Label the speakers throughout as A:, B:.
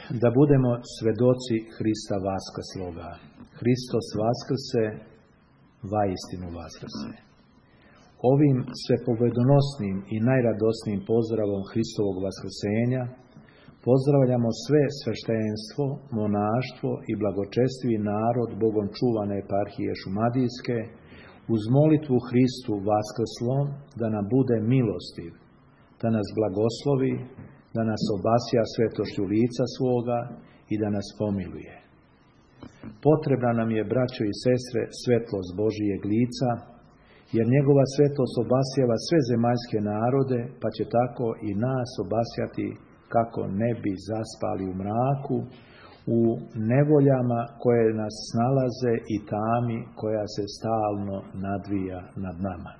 A: da budemo svedoci Hrista vaskrsloga. Hristos vaskrse, vaistinu vaskrse. Ovim svepobedonosnim i najradosnijim pozdravom Hristovog vaskrsenja pozdravljamo sve sveštenstvo, monaštvo i blagočestivi narod Bogom čuvane eparhije Šumadijske, uz molitvu Hristu vaskrslom da nam bude milostiv, da nas blagoslovi, da nas obasja svetošću lica svoga i da nas pomiluje. Potrebna nam je, braćo i sestre, svetlost Božijeg lica, jer njegova svetlost obasjava sve zemaljske narode, pa će tako i nas obasjati kako ne bi zaspali u mraku, u nevoljama koje nas snalaze i tami koja se stalno nadvija nad nama.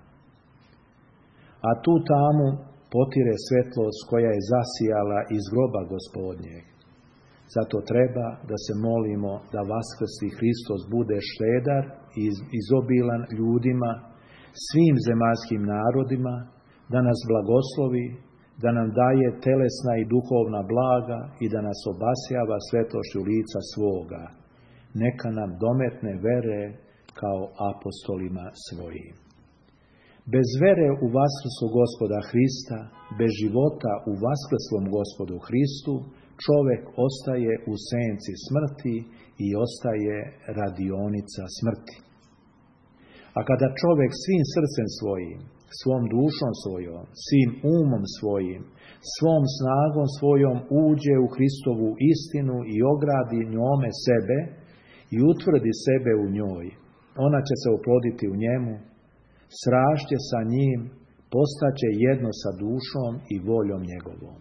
A: A tu tamu potire svetlost koja je zasijala iz groba Gospodnjeg. Zato treba da se molimo da vaskrsli Hristos bude štedar i izobilan ljudima, svim zemaljskim narodima, da nas blagoslovi, da nam daje telesna i duhovna blaga i da nas obasjava svetošću lica svoga. Neka nam dometne vere kao apostolima svojim. Bez vere u vaskrslog Gospoda Hrista, bez života u vaskrslom Gospodu Hristu, čovjek ostaje u senci smrti i ostaje radionica smrti. A kada čovjek svim srcem svojim, svom dušom svojom, svim umom svojim, svom snagom svojom uđe u Hristovu istinu i ogradi njome sebe i utvrdi sebe u njoj, ona će se oploditi u njemu, srašće sa njim, postaće jedno sa dušom i voljom njegovom.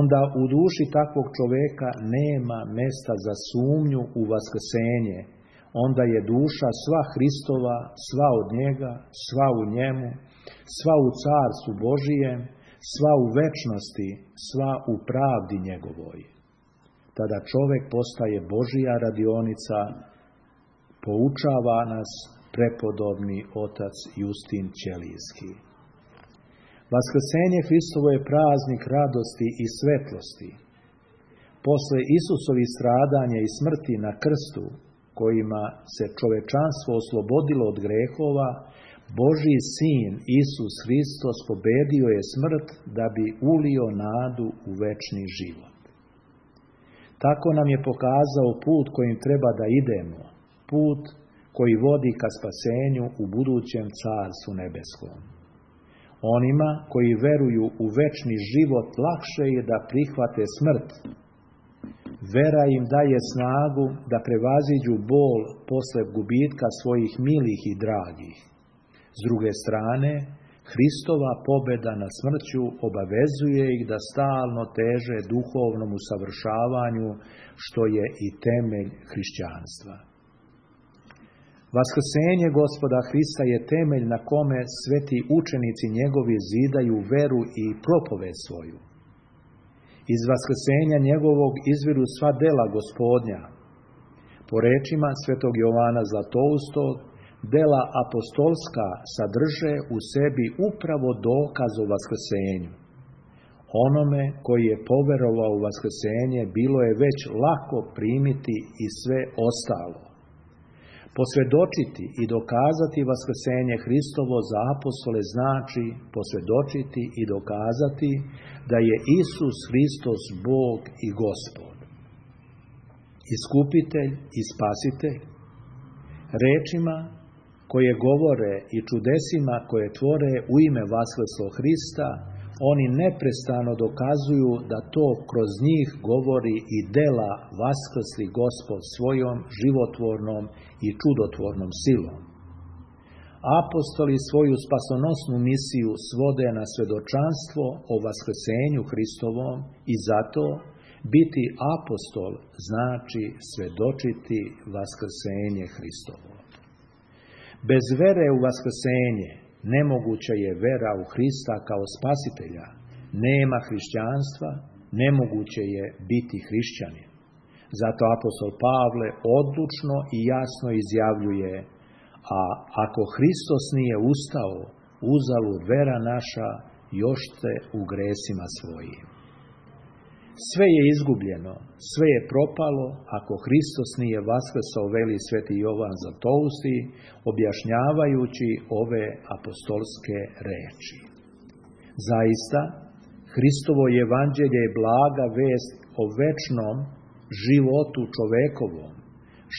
A: Onda u duši takvog čovjeka nema mjesta za sumnju u vaskrsenje, onda je duša sva Hristova, sva od njega, sva u njemu, sva u carstvu Božijem, sva u večnosti, sva u pravdi njegovoj. Tada čovjek postaje Božija radionica, poučava nas prepodobni otac Justin Ćelijski. Vaskrsenje Hristovo je praznik radosti i svetlosti. Posle Isusovih stradanja i smrti na krstu, kojima se čovečanstvo oslobodilo od grehova, Božji sin Isus Hristos pobedio je smrt da bi ulio nadu u večni život. Tako nam je pokazao put kojim treba da idemo, put koji vodi ka spasenju u budućem carstvu nebeskom. Onima koji veruju u večni život lakše je da prihvate smrt. Vera im daje snagu da prevaziđu bol posle gubitka svojih milih i dragih. S druge strane, Hristova pobjeda nad smrću obavezuje ih da stalno teže duhovnom usavršavanju, što je i temelj hrišćanstva. Vaskrsenje Gospoda Hrista je temelj na kome sveti učenici njegovi zidaju veru i propoved svoju. Iz vaskrsenja njegovog izviru sva dela Gospodnja. Po rečima svetog Jovana Zlatoustog, dela apostolska sadrže u sebi upravo dokaz o vaskrsenju. Onome koji je poverovao u vaskrsenje bilo je već lako primiti i sve ostalo. Posvjedočiti i dokazati vaskrsenje Hristovo za apostole znači posvjedočiti i dokazati da je Isus Hristos Bog i Gospod, Iskupitelj i Spasitelj. Rečima koje govore i čudesima koje tvore u ime vaskrslog Hrista, oni neprestano dokazuju da to kroz njih govori i dela vaskrsli Gospod svojom životvornom i čudotvornom silom. Apostoli svoju spasonosnu misiju svode na svedočanstvo o vaskrsenju Hristovom i zato biti apostol znači svedočiti vaskrsenje Hristovo. Bez vere u vaskrsenje nemoguća je vera u Hrista kao spasitelja, nema hrišćanstva, nemoguće je biti hrišćanin. Zato apostol Pavle odlučno i jasno izjavljuje: a ako Hristos nije ustao, uzalud vera naša, još ste u gresima svojim. Sve je izgubljeno, sve je propalo ako Hristos nije vaskrsao, veli sveti Jovan Zlatousti, objašnjavajući ove apostolske reči. Zaista, Hristovo evanđelje je blaga vest o večnom životu čovekovom,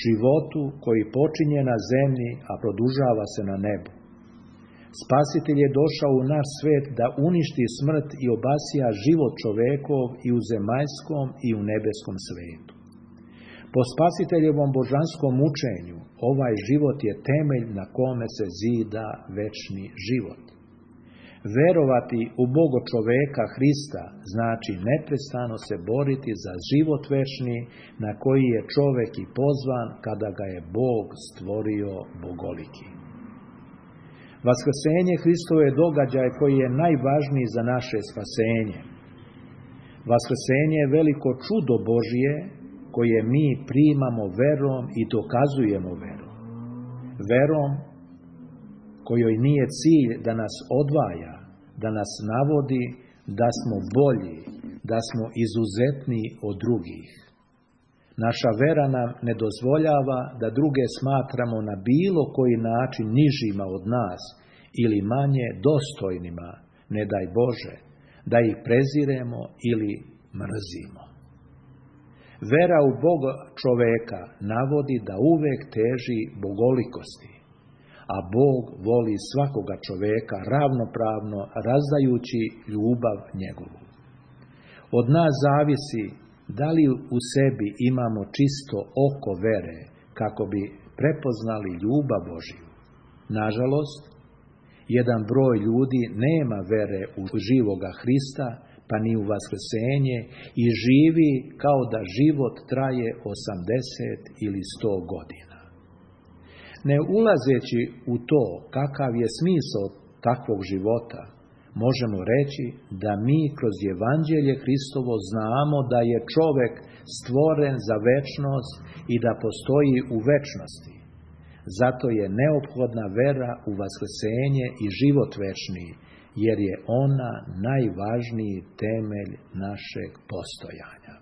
A: životu koji počinje na zemlji, a produžava se na nebu. Spasitelj je došao u naš svet da uništi smrt i obasija život čovekov i u zemaljskom i u nebeskom svetu. Po Spasiteljevom božanskom učenju, ovaj život je temelj na kome se zida večni život. Verovati u Boga čoveka Hrista znači neprestano se boriti za život večni na koji je čovek i pozvan kada ga je Bog stvorio bogoliki. Vaskrsenje Hristovo je događaj koji je najvažniji za naše spasenje. Vaskrsenje je veliko čudo Božje koje mi primamo verom i dokazujemo verom. Verom kojoj nije cilj da nas odvaja, da nas navodi da smo bolji, da smo izuzetniji od drugih. Naša vera nam ne dozvoljava da druge smatramo na bilo koji način nižima od nas ili manje dostojnima, ne daj Bože, da ih preziremo ili mrzimo. Vera u Boga čoveka navodi da uvek teži bogolikosti, a Bog voli svakoga čoveka ravnopravno razdajući ljubav njegovu. Od nas zavisi da li u sebi imamo čisto oko vere kako bi prepoznali ljubav Božju. Nažalost, jedan broj ljudi nema vere u živoga Hrista, pa ni u vaskrsenje i živi kao da život traje 80 ili 100 godina. Ne ulazeći u to kakav je smisao takvog života, možemo reći da mi kroz evanđelje Hristovo znamo da je čovek stvoren za večnost i da postoji u večnosti. Zato je neophodna vera u vaskrsenje i život večni, jer je ona najvažniji temelj našeg postojanja.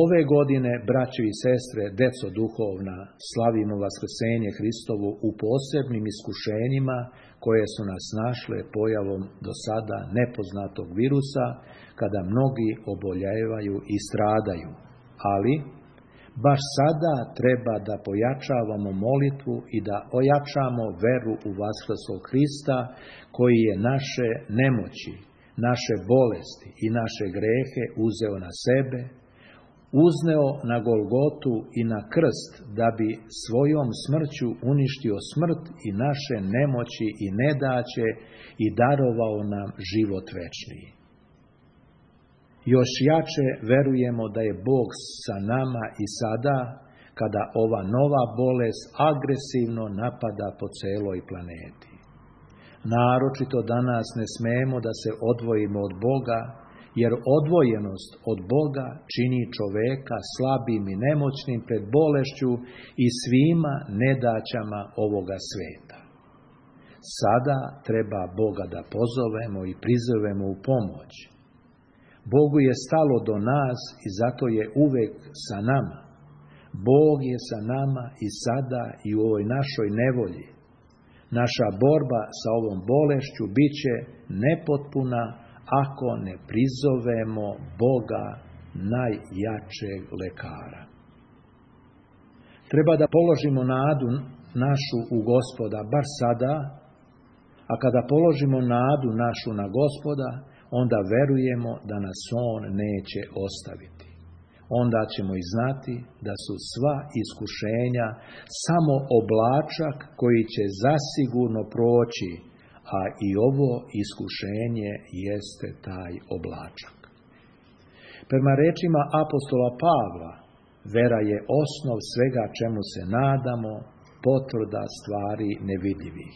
A: Ove godine, braćo i sestre, deco duhovna, slavimo vaskrsenje Hristovo u posebnim iskušenjima koje su nas našle pojavom do sada nepoznatog virusa, kada mnogi oboljevaju i stradaju. Ali, baš sada treba da pojačavamo molitvu i da ojačamo veru u vaskrslog Hrista, koji je naše nemoći, naše bolesti i naše grehe uzeo na sebe, uzneo na Golgotu i na krst, da bi svojom smrću uništio smrt i naše nemoći i nedaće i darovao nam život večni. Još jače verujemo da je Bog sa nama i sada, kada ova nova bolest agresivno napada po celoj planeti. Naročito danas ne smemo da se odvojimo od Boga, jer odvojenost od Boga čini čoveka slabim i nemoćnim pred bolešću i svima nedaćama ovoga sveta. Sada treba Boga da pozovemo i prizovemo u pomoć. Bogu je stalo do nas i zato je uvek sa nama. Bog je sa nama i sada i u ovoj našoj nevolji. Naša borba sa ovom bolešću bit će nepotpuna ako ne prizovemo Boga, najjačeg lekara. Treba da položimo nadu našu u Gospoda bar sada, a kada položimo nadu našu na Gospoda, onda verujemo da nas On neće ostaviti. Onda ćemo i znati da su sva iskušenja samo oblačak koji će zasigurno proći, a i ovo iskušenje jeste taj oblačak. Prema rečima apostola Pavla, vera je osnov svega čemu se nadamo, potvrda stvari nevidljivih.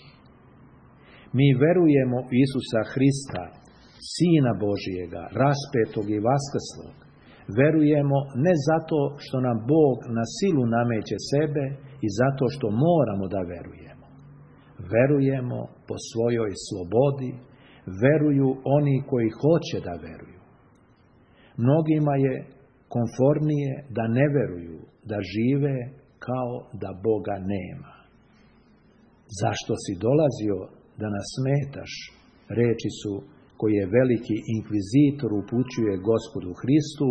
A: Mi verujemo u Isusa Hrista, Sina Božijega, raspetog i vaskrslog. Verujemo ne zato što nam Bog na silu nameće sebe i zato što moramo da verujemo. Verujemo po svojoj slobodi, veruju oni koji hoće da veruju. Mnogima je konfornije da ne veruju, da žive kao da Boga nema. Zašto si dolazio da nas smetaš? Reči su koje veliki inkvizitor upućuje Gospodu Hristu,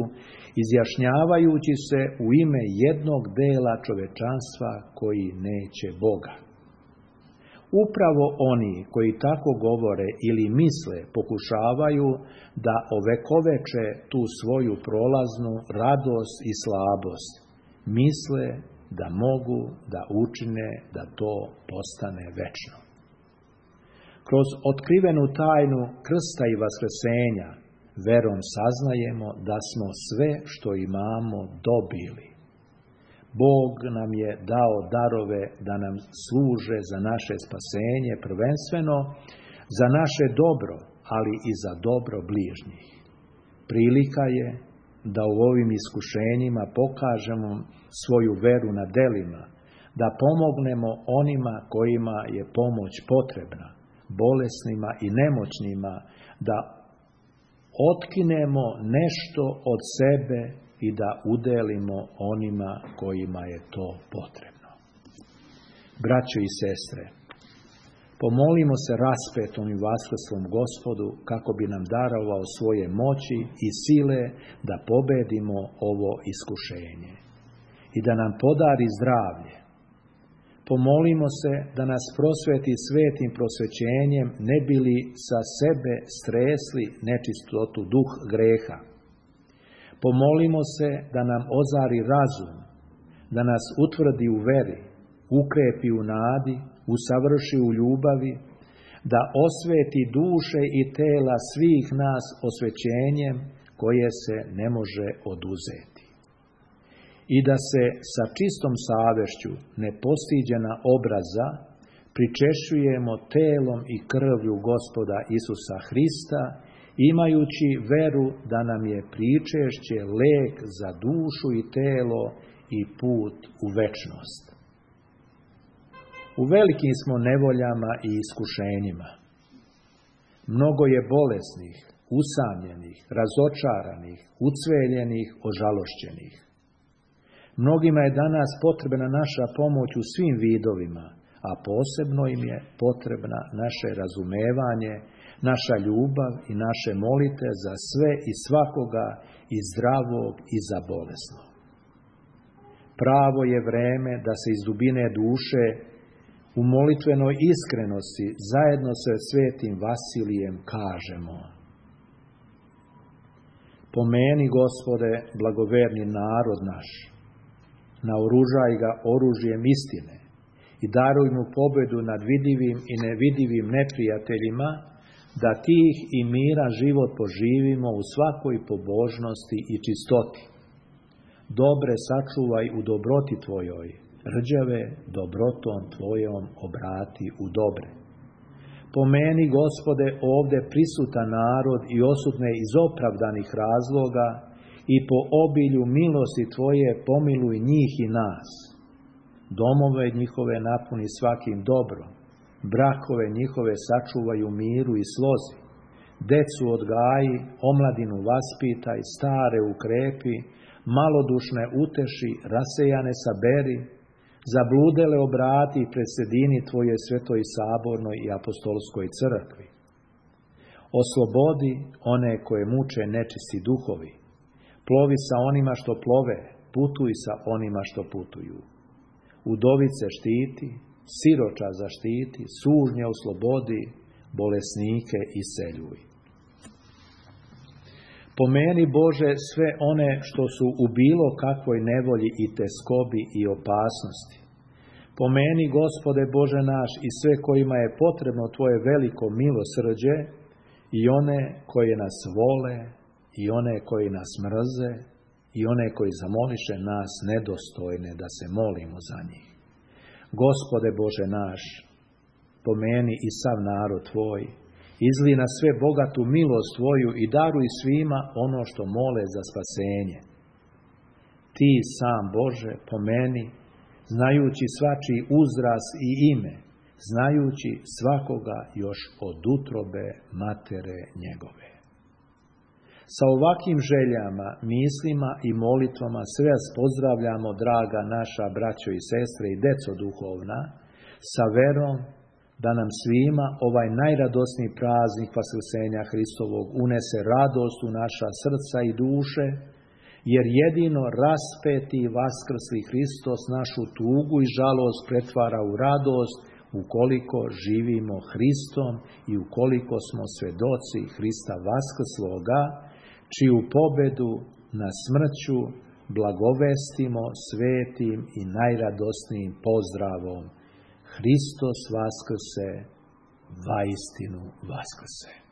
A: izjašnjavajući se u ime jednog dela čovečanstva koji neće Boga. Upravo oni koji tako govore ili misle pokušavaju da ovekoveče tu svoju prolaznu radost i slabost. Misle da mogu da učine da to postane večno. Kroz otkrivenu tajnu krsta i vaskrsenja verom saznajemo da smo sve što imamo dobili. Bog nam je dao darove da nam služe za naše spasenje, prvenstveno za naše dobro, ali i za dobro bližnjih. Prilika je da u ovim iskušenjima pokažemo svoju veru na delima, da pomognemo onima kojima je pomoć potrebna, bolesnima i nemoćnima, da otkinemo nešto od sebe i da udelimo onima kojima je to potrebno. Braćo i sestre, pomolimo se raspetom i vaskrslom Gospodu kako bi nam darovao svoje moći i sile da pobedimo ovo iskušenje i da nam podari zdravlje. Pomolimo se da nas prosveti svetim prosvećenjem, ne bi li sa sebe stresli nečistotu duh greha. Pomolimo se da nam ozari razum, da nas utvrdi u veri, ukrepi u nadi, usavrši u ljubavi, da osveti duše i tela svih nas osvećenjem koje se ne može oduzeti. I da se sa čistom savješću nepostiđena obraza pričešćujemo telom i krvlju Gospoda Isusa Hrista, imajući veru da nam je pričešće lek za dušu i telo i put u večnost. U velikim smo nevoljama i iskušenjima. Mnogo je bolesnih, usamljenih, razočaranih, ucveljenih, ožalošćenih. Mnogima je danas potrebna naša pomoć u svim vidovima, a posebno im je potrebna naše razumevanje, naša ljubav i naše molite za sve i svakoga, i zdravog i za bolesno. Pravo je vreme da se iz dubine duše u molitvenoj iskrenosti zajedno sa svetim Vasilijem kažemo: pomeni, Gospode, blagoverni narod naš, naoružaj ga oružjem istine i daruj mu pobedu nad vidivim i nevidivim neprijateljima, da tih i mira život poživimo u svakoj pobožnosti i čistoti. Dobre sačuvaj u dobroti Tvojoj, rđave dobrotom Tvojom obrati u dobre. Pomeni, Gospode, ovde prisutan narod i osudne iz opravdanih razloga i po obilju milosti Tvoje pomiluj njih i nas. Domove njihove napuni svakim dobrom, brakove njihove sačuvaj u miru i slozi, decu odgaji, omladinu vaspitaj, stare ukrepi, malodušne uteši, rasejane saberi, zabludele obrati i presedini Tvoje svetoj sabornoj i apostolskoj crkvi. Oslobodi one koje muče nečisti duhovi, plovi sa onima što plove, putuj sa onima što putuju. Udovice štiti, siroča zaštiti, sužnje oslobodi, bolesnike iseljuj. Pomeni, Bože, sve one što su u bilo kakvoj nevolji i teskobi i opasnosti. Pomeni, Gospode Bože naš, i sve kojima je potrebno Tvoje veliko milosrđe, i one koje nas vole, i one koji nas mrze, i one koji zamoliše nas nedostojne da se molimo za njih. Gospode Bože naš, pomeni i sav narod Tvoj, izli na sve bogatu milost Tvoju i daruj svima ono što mole za spasenje. Ti sam, Bože, pomeni, znajući svačiji uzrast i ime, znajući svakoga još od utrobe matere njegove. Sa ovakvim željama, mislima i molitvama sve vas pozdravljamo, draga naša braćo i sestre i deco duhovna, sa verom da nam svima ovaj najradosniji praznik Vaskrsenja Hristovog unese radost u naša srca i duše, jer jedino raspeti i vaskrsli Hristos našu tugu i žalost pretvara u radost ukoliko živimo Hristom i ukoliko smo svedoci Hrista vaskrsloga, čiju pobedu na smrću blagovestimo svetim i najradosnijim pozdravom: Hristos vaskrse, vaistinu vaskrse.